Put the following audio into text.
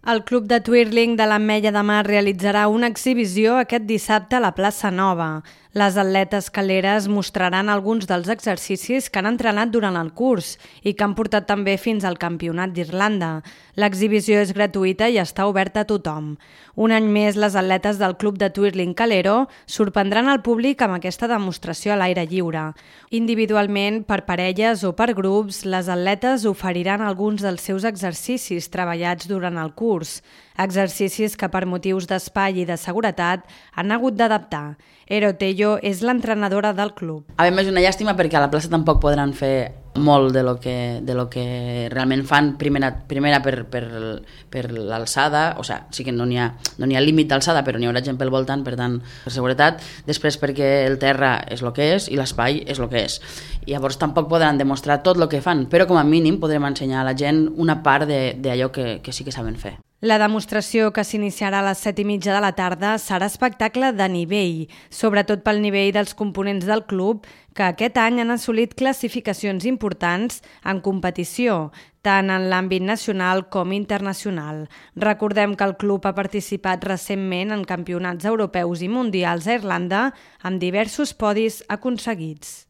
El Club de Twirling de l'Ametlla de Mar realitzarà una exhibició aquest dissabte a la plaça Nova. Les atletes caleres mostraran alguns dels exercicis que han entrenat durant el curs i que han portat també fins al Campionat d'Irlanda. L'exhibició és gratuïta i està oberta a tothom. Un any més, les atletes del Club de Twirling Calero sorprendran el públic amb aquesta demostració a l'aire lliure. Individualment, per parelles o per grups, les atletes oferiran alguns dels seus exercicis treballats durant el curs. Exercicis que per motius d'espai i de seguretat han hagut d'adaptar. Ero Tello és l'entrenadora del club. A més, és una llàstima perquè a la plaça tampoc podran fer molt de lo que realment fan, primera per l'alçada, o sigui, sí que no n'hi ha límit d'alçada, però n'hi haurà gent pel voltant, per tant, per seguretat. Després perquè el terra és el que és i l'espai és el que és. I llavors tampoc podran demostrar tot el que fan, però com a mínim podrem ensenyar a la gent una part d'allò que sí que saben fer. La demostració, que s'iniciarà a les 7:30 de la tarda, serà espectacle de nivell, sobretot pel nivell dels components del club, que aquest any han assolit classificacions importants en competició, tant en l'àmbit nacional com internacional. Recordem que el club ha participat recentment en campionats europeus i mundials a Irlanda amb diversos podis aconseguits.